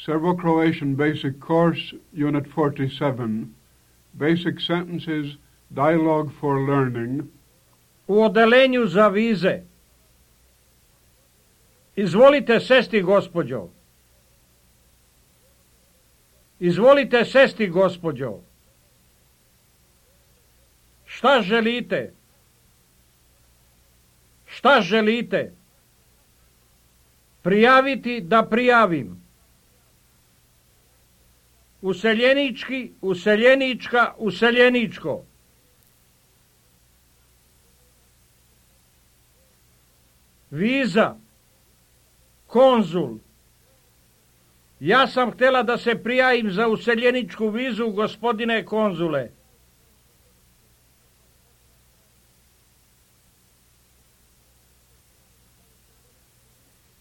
Serbo-Croatian Basic Course, Unit 47, Basic Sentences, Dialogue for Learning. U odelenju za vize. Izvolite sesti, gospođo. Izvolite sesti, gospođo. Šta želite? Šta želite? Prijaviti da prijavim. Useljenički, useljenička, useljeničko. Viza. Konzul. Ja sam htjela da se prijavim za useljeničku vizu, gospodine konzule.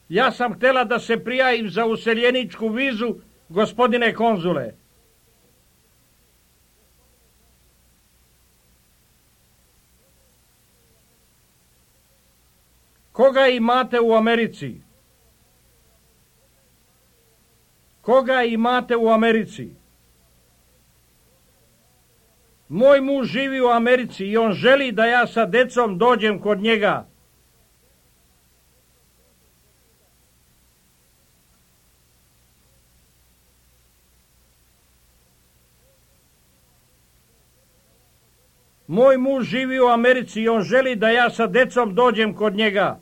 Ja sam htjela da se prijavim za useljeničku vizu, gospodine konzule. Koga imate u Americi? Koga imate u Americi? Moj muž živi u Americi i on želi da ja sa decom dođem kod njega. Moj muž živi u Americi i on želi da ja sa decom dođem kod njega.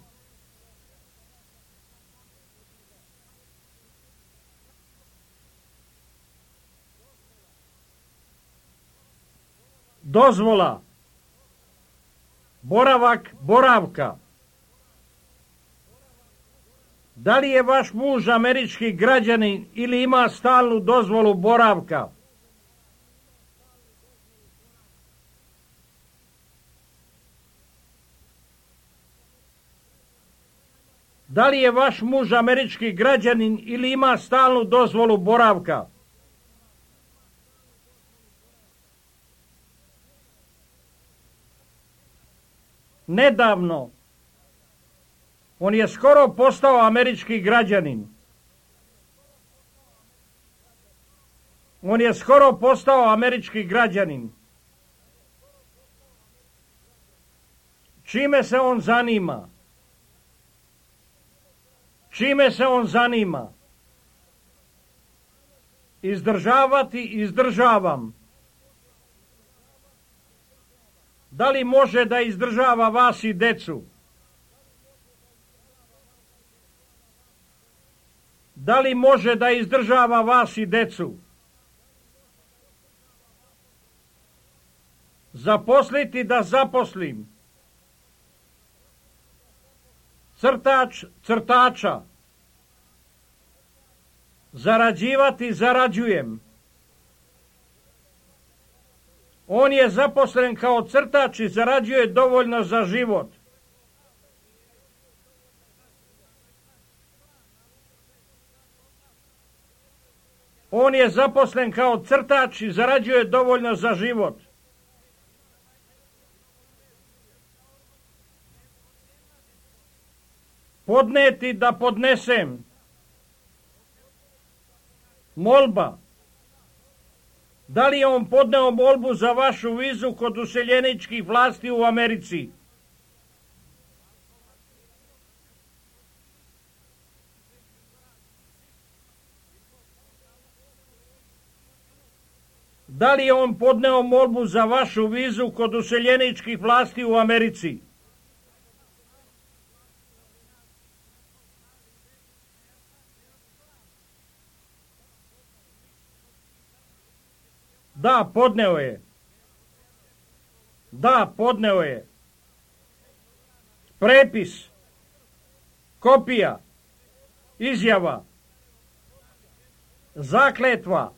Dozvola. Boravak, boravka. Da li je vaš muž američki građanin ili ima stalnu dozvolu boravka? Da li je vaš muž američki građanin ili ima stalnu dozvolu boravka? Nedavno. On je skoro postao američki građanin. On je skoro postao američki građanin. Čime se on zanima? Čime se on zanima? Izdržavati, izdržavam. Da li može da izdržava vas i decu? Da li može da izdržava vas i decu? Zaposliti da zaposlim. Crtač, crtača. Zarađivati, zarađujem. On je zaposlen kao crtač i zarađuje dovoljno za život. On je zaposlen kao crtač i zarađuje dovoljno za život. Podneti da podnesem. Molba. Da li je on podneo molbu za vašu vizu kod useljeničkih vlasti u Americi? Da li je on podneo molbu za vašu vizu kod useljeničkih vlasti u Americi? Da, podneo je. Da, podneo je. Prepis. Kopija. Izjava. Zakletva.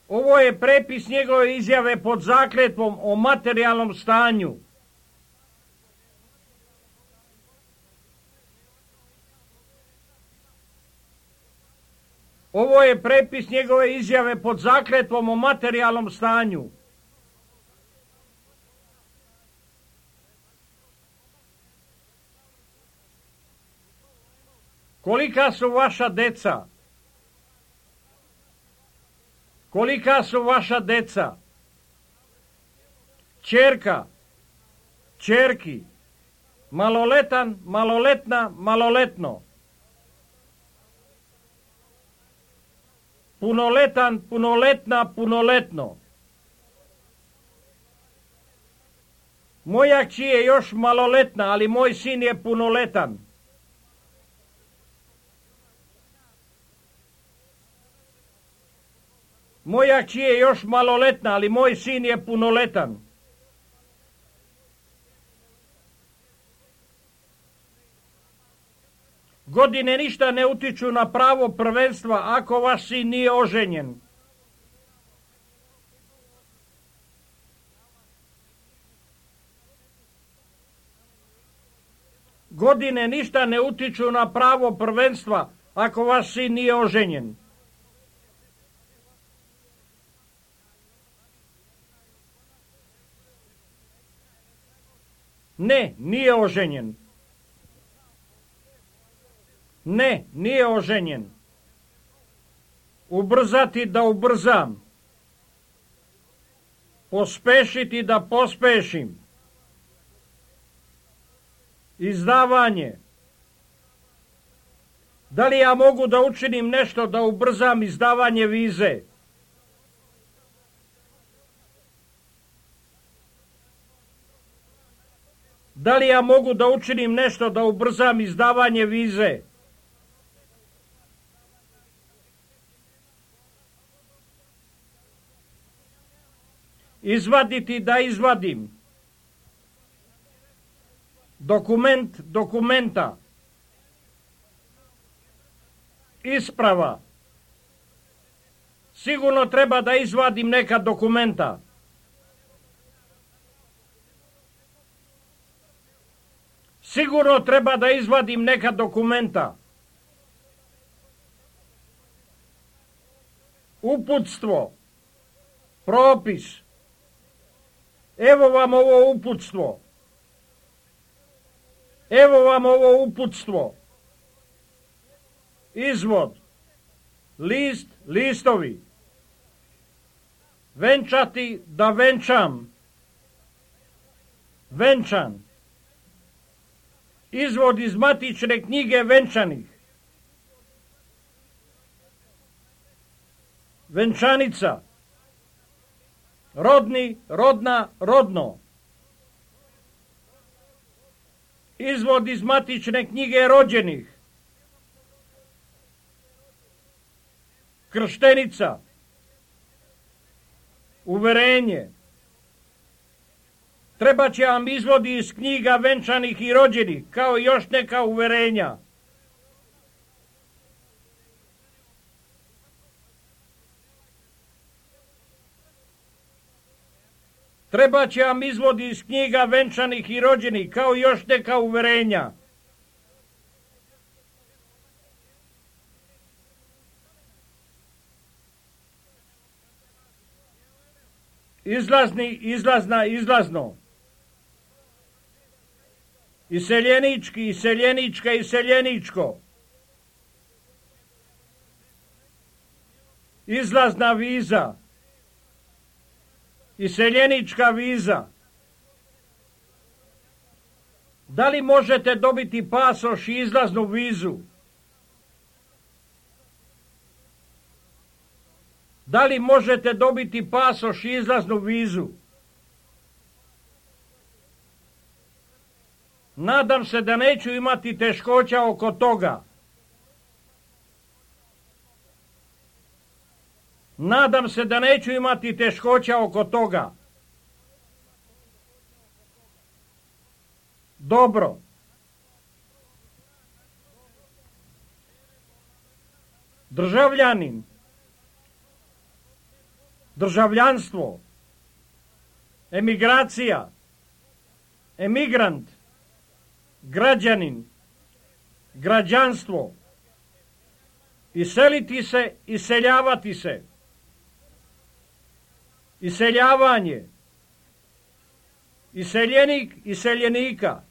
Ovo je prepis njegove izjave pod zakletvom o materijalnom stanju. Ovo je prepis njegove izjave pod zakletvom o materijalnom stanju. Kolika su vaša deca? Kolika su vaša deca? Ćerka, ćerki, maloletan, maloletna, maloletno. Punoletan, punoletna, punoletno. Moja kći je još maloletna, ali moj sin je punoletan. Moja kći je još maloletna, ali moj sin je punoletan. Godine ništa ne utiču na pravo prvenstva ako vaš sin nije oženjen. Godine ništa ne utiču na pravo prvenstva ako vaš sin nije oženjen. Ne, nije oženjen. Ne, nije oženjen. Ubrzati da ubrzam. Pospešiti da pospešim. Izdavanje. Da li ja mogu da učinim nešto da ubrzam izdavanje vize? Da li ja mogu da učinim nešto da ubrzam izdavanje vize? Izvaditi da izvadim. Dokument dokumenta. Isprava. Sigurno treba da izvadim neka dokumenta. Sigurno treba da izvadim neka dokumenta. Uputstvo. Propis. Evo vam ovo uputstvo. Evo vam ovo uputstvo. Izvod. List, listovi. Venčati da venčam. Venčan. Izvod iz matične knjige venčanih. Venčanica. Rodni, rodna, rodno. Izvod iz matične knjige rođenih. Krštenica. Uverenje. Treba će vam izvodi iz knjiga venčanih i rođenih, kao i još neka uverenja. Treba će vam izvodi iz knjiga venčanih i rođenih, kao i još neka uverenja. Izlazni, izlazna, izlazno. Iseljenički, iseljenička, iseljeničko. Izlazna viza. Iseljenička viza. Da li možete dobiti pasoš i izlaznu vizu? Da li možete dobiti pasoš i izlaznu vizu? Nadam se da neću imati teškoća oko toga. Nadam se da neću imati teškoća oko toga. Dobro. Državljanin. Državljanstvo. Emigracija. Emigrant. Građanin. Građanstvo. Iseliti se, iseljavati se. Iseljavanje. Iseljenik, iseljenika.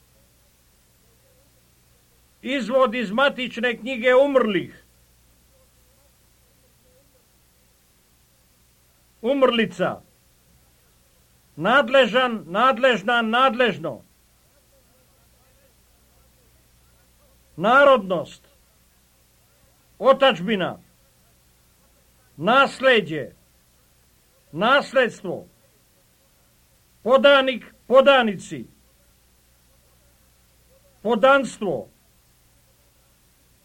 Izvod iz matične knjige umrlih. umrlica, nadležan, nadležna, nadležno, narodnost, otadžbina, nasleđe, nasledstvo, podanik, podanici, podanstvo,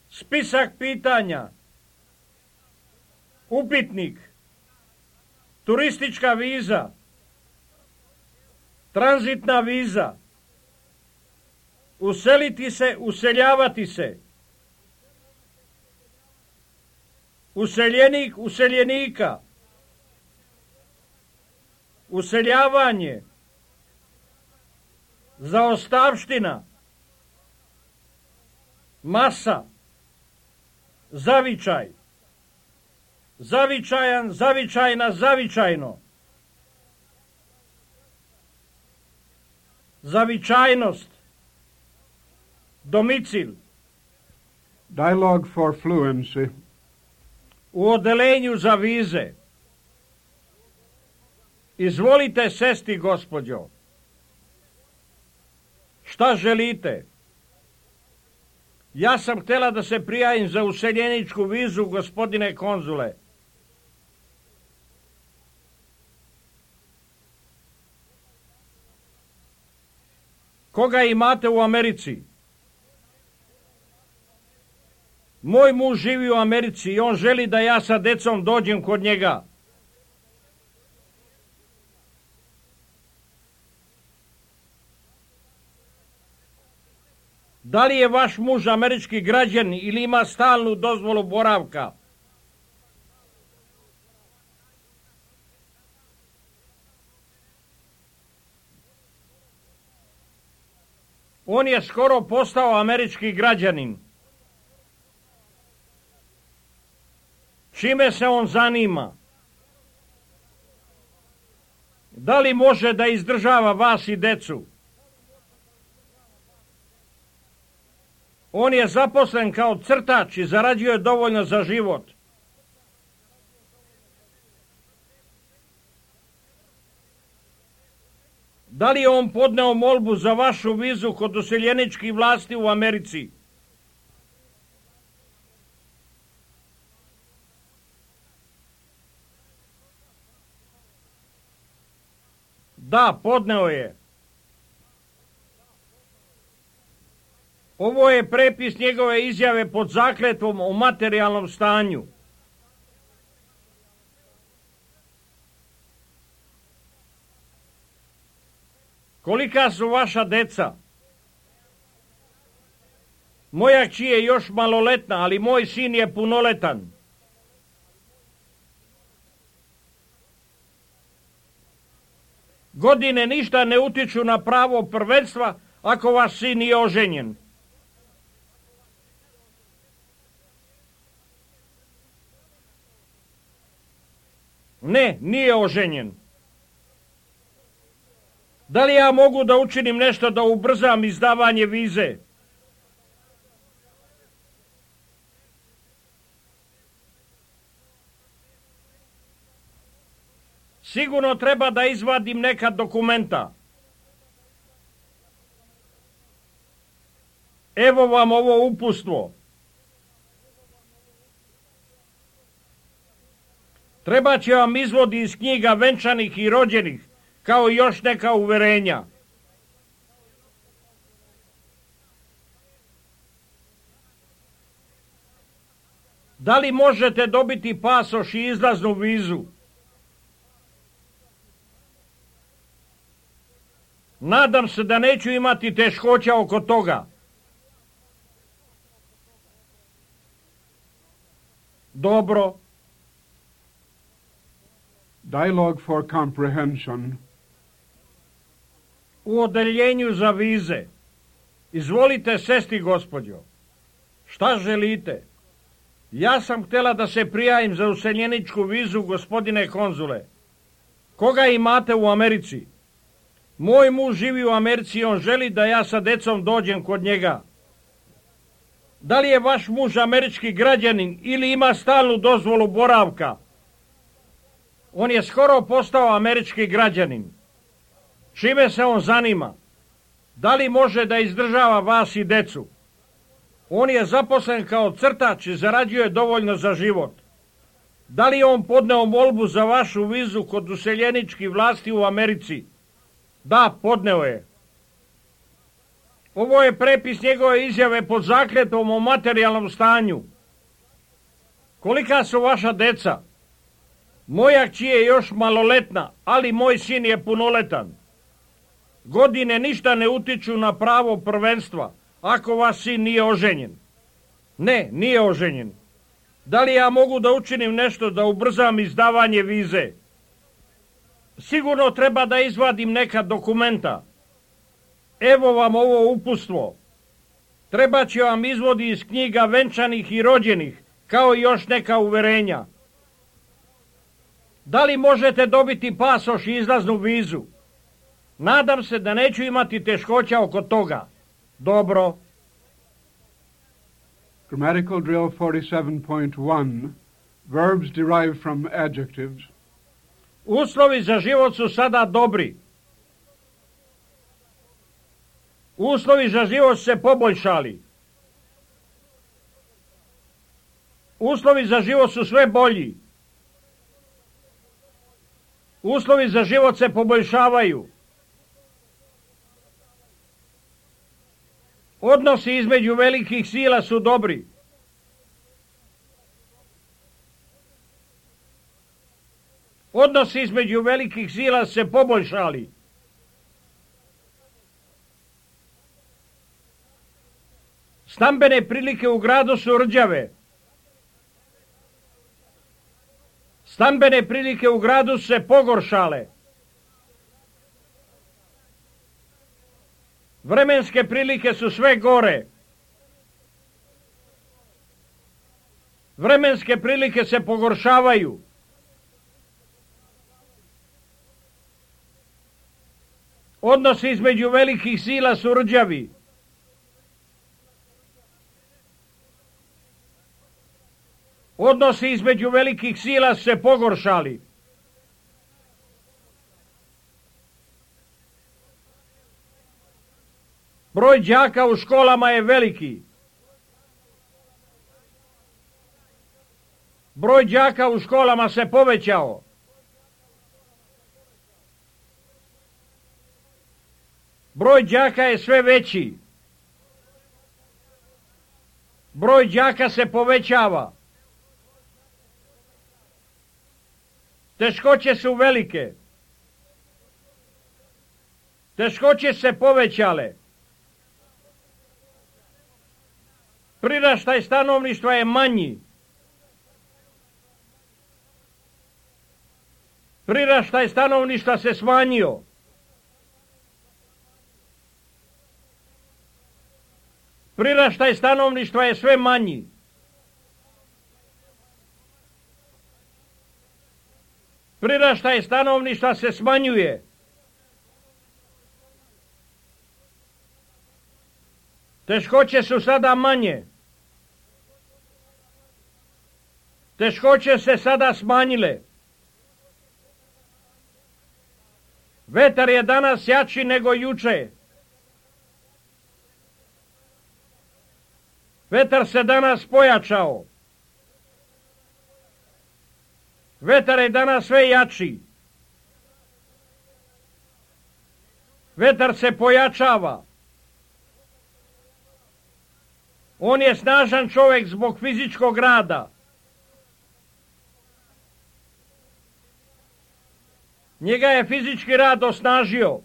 spisak pitanja, upitnik, turistička viza, tranzitna viza, useliti se, useljavati se, useljenik, useljenika, useljavanje, zaostavština, masa, zavičaj, zavičajan, zavičajna, zavičajno, zavičajnost, domicil. Dialogue for fluency. U odelenju za vize. Izvolite sesti, gospođo. Šta želite? Ja sam htjela da se prijavim za useljeničku vizu, gospodine konzule. Koga imate u Americi? Moj muž živi u Americi i on želi da ja sa decom dođem kod njega. Da li je vaš muž američki građanin ili ima stalnu dozvolu boravka? On je skoro postao američki građanin. Čime se on zanima? Da li može da izdržava vas i decu? On je zaposlen kao crtač i zarađuje dovoljno za život. Da li je on podneo molbu za vašu vizu kod useljeničkih vlasti u Americi? Da, podneo je. Ovo je prepis njegove izjave pod zakletvom o materijalnom stanju. Kolika su vaša deca? Moja kći je još maloletna, ali moj sin je punoletan. Godine ništa ne utiču na pravo prvenstva ako vaš sin nije oženjen. Ne, nije oženjen. Da li ja mogu da učinim nešto da ubrzam izdavanje vize? Sigurno treba da izvadim neka dokumenta. Evo vam ovo uputstvo. Treba će vam izvodi iz knjiga venčanih i rođenih, kao i još neka uverenja. Da li možete dobiti pasoš i izlaznu vizu? Nadam se da neću imati teškoća oko toga. Dobro. Dialogue for comprehension. U odeljenju za vize. Izvolite sesti, gospođo. Šta želite? Ja sam htjela da se prijavim za useljeničku vizu, gospodine konzule. Koga imate u Americi? Moj muž živi u Americi i on želi da ja sa decom dođem kod njega. Da li je vaš muž američki građanin ili ima stalnu dozvolu boravka? On je skoro postao američki građanin. Čime se on zanima? Da li može da izdržava vas i decu? On je zaposlen kao crtač i zarađuje dovoljno za život. Da li je on podneo molbu za vašu vizu kod useljeničkih vlasti u Americi? Da, podneo je. Ovo je prepis njegove izjave pod zakletvom o materijalnom stanju. Kolika su vaša deca? Moja kći je još maloletna, ali moj sin je punoletan. Godine ništa ne utiču na pravo prvenstva, ako vaš sin nije oženjen. Ne, nije oženjen. Da li ja mogu da učinim nešto da ubrzam izdavanje vize? Sigurno treba da izvadim neka dokumenta. Evo vam ovo uputstvo. Treba će vam izvodi iz knjiga venčanih i rođenih, kao i još neka uverenja. Da li možete dobiti pasoš i izlaznu vizu? Nadam se da neću imati teškoća oko toga. Dobro. Grammatical drill 47.1. Verbs derived from adjectives. Uslovi za život su sada dobri. Uslovi za život se poboljšali. Uslovi za život su sve bolji. Uslovi za život se poboljšavaju. Odnosi između velikih sila su dobri. Odnosi između velikih sila se poboljšali. Stambene prilike u gradu su rđave. Stambene prilike u gradu su se pogoršale. Vremenske prilike su sve gore. Vremenske prilike se pogoršavaju. Odnosi između velikih sila su rđavi. Odnosi između velikih sila su se pogoršali. Broj đaka u školama je veliki. Broj đaka u školama se povećao. Broj đaka je sve veći. Broj đaka se povećava. Teškoće su velike. Teškoće se povećale. Priraštaj stanovništva je manji. Priraštaj stanovništva se smanjio. Priraštaj stanovništva je sve manji. Priraštaj stanovništva se smanjuje. Teškoće su sada manje. Teškoće se sada smanjile. Vetar je danas jači nego juče. Vetar se danas pojačao. Vetar je danas sve jači. Vetar se pojačava. On je snažan čovjek zbog fizičkog rada. Njega je fizički rad osnažio.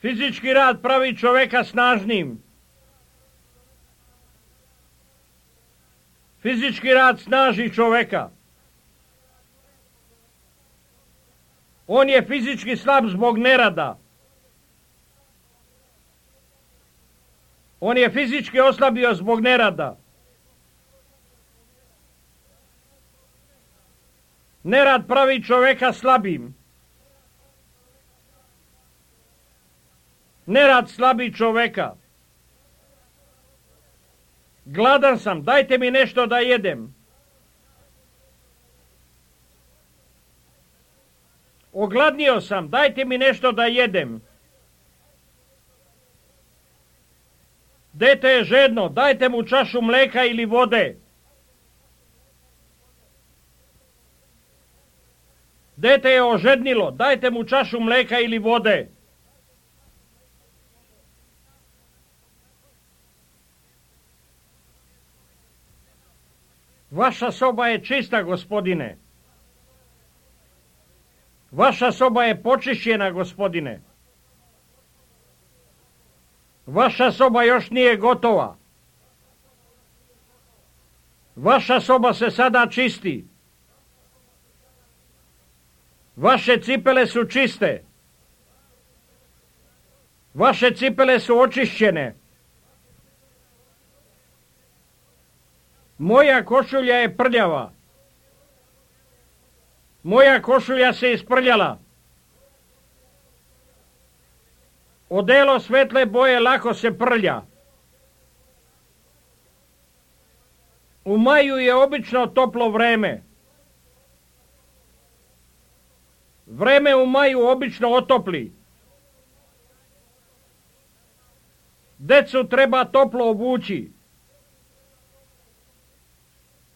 Fizički rad pravi čovjeka snažnim. Fizički rad snaži čovjeka. On je fizički slab zbog nerada. On je fizički oslabio zbog nerada. Nerad pravi čovjeka slabim. Nerad slabi čovjeka. Gladan sam, dajte mi nešto da jedem. Ogladnio sam, dajte mi nešto da jedem. Dete je žedno, dajte mu čašu mleka ili vode. Dete je ožednilo, dajte mu čašu mleka ili vode. Vaša soba je čista, gospodine. Vaša soba je počišćena, gospodine. Vaša soba još nije gotova. Vaša soba se sada čisti. Vaše cipele su čiste. Vaše cipele su očišćene. Moja košulja je prljava. Moja košulja se isprljala. Odelo svetle boje lako se prlja. U maju je obično toplo vreme. Vreme u maju obično otopli. Decu treba toplo obući.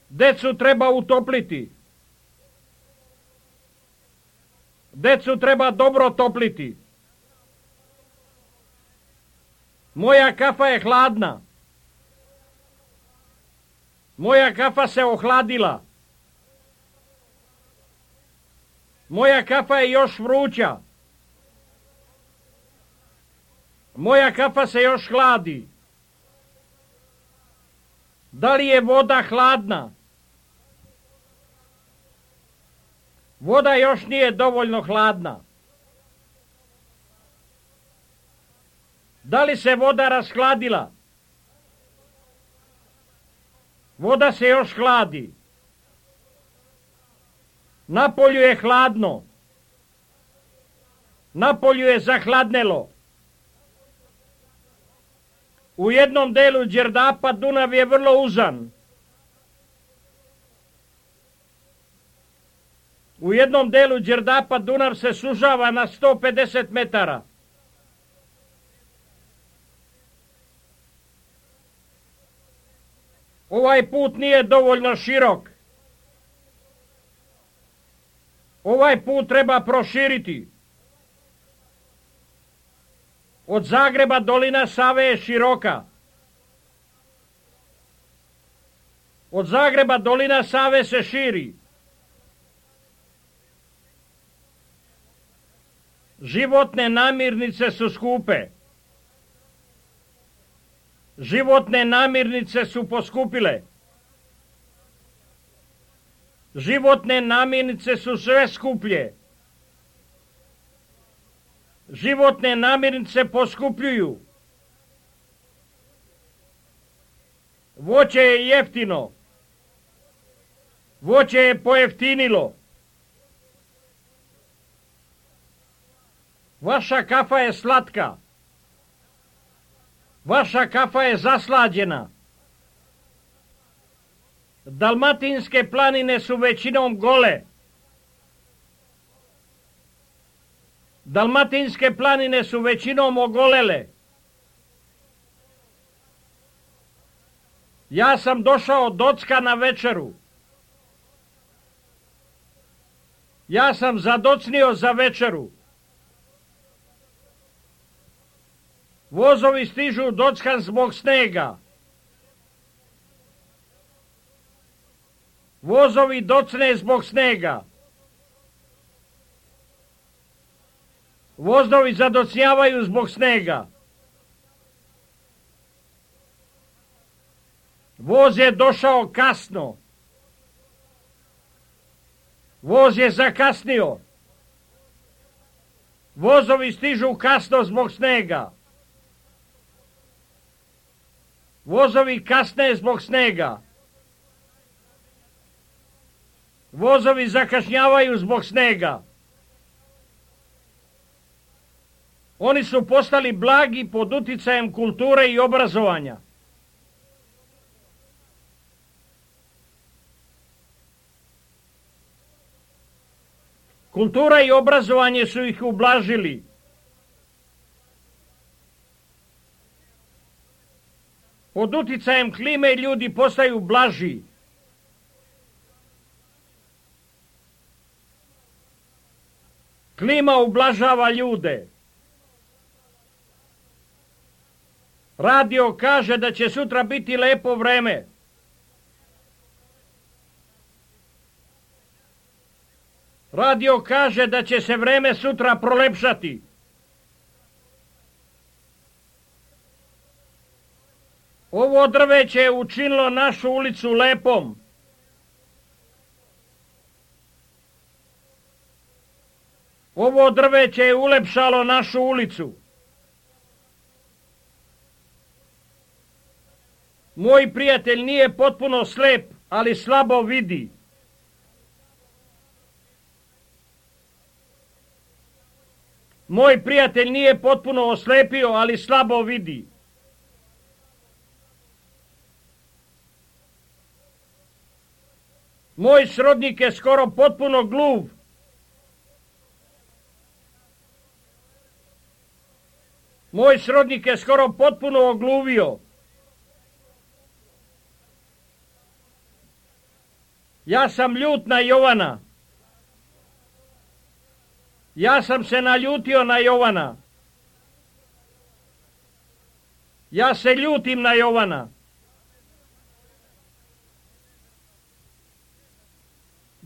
Decu treba utopliti. Decu treba dobro topliti. Moja kafa je hladna. Moja kafa se ohladila. Moja kafa je još vruća. Moja kafa se još hladi. Da li je voda hladna? Voda još nije dovoljno hladna. Da li se voda rashladila? Voda se još hladi. Napolju je hladno. Napolju je zahladnelo. U jednom delu Đerdapa Dunav je vrlo uzan. U jednom delu Đerdapa Dunav se sužava na 150 metara. Ovaj put nije dovoljno širok. Ovaj put treba proširiti. Od Zagreba dolina Save je široka. Od Zagreba dolina Save se širi. Životne namirnice su skupe. Životne namirnice su poskupile. Životne namirnice su sve skuplje. Životne namirnice poskupljuju. Voće je jeftino. Voće je pojeftinilo. Vaša kafa je slatka. Vaša kafa je zaslađena. Dalmatinske planine su većinom gole. Dalmatinske planine su većinom ogolele. Ja sam došao docka na večeru. Ja sam zadocnio za večeru. Vozovi stižu dockan zbog snega. Vozovi docne zbog snega. Vozovi zadocnjavaju zbog snega. Voz je došao kasno. Voz je zakasnio. Vozovi stižu kasno zbog snega. Vozovi kasne zbog snega. Vozovi zakašnjavaju zbog snega. Oni su postali blagi pod uticajem kulture i obrazovanja. Kultura i obrazovanje su ih ublažili. Pod uticajem klime ljudi postaju blaži. Klima ublažava ljude. Radio kaže da će sutra biti lepo vreme. Radio kaže da će se vreme sutra prolepšati. Ovo drveće je učinilo našu ulicu lepom. Ovo drveće je ulepšalo našu ulicu. Moj prijatelj nije potpuno slep, ali slabo vidi. Moj prijatelj nije potpuno oslepio, ali slabo vidi. Moj srodnik je skoro potpuno gluv. Moj srodnik je skoro potpuno ogluvio. Ja sam ljut na Jovana. Ja sam se naljutio na Jovana. Ja se ljutim na Jovana.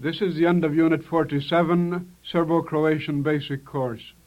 This is the end of Unit 47, Serbo-Croatian Basic Course.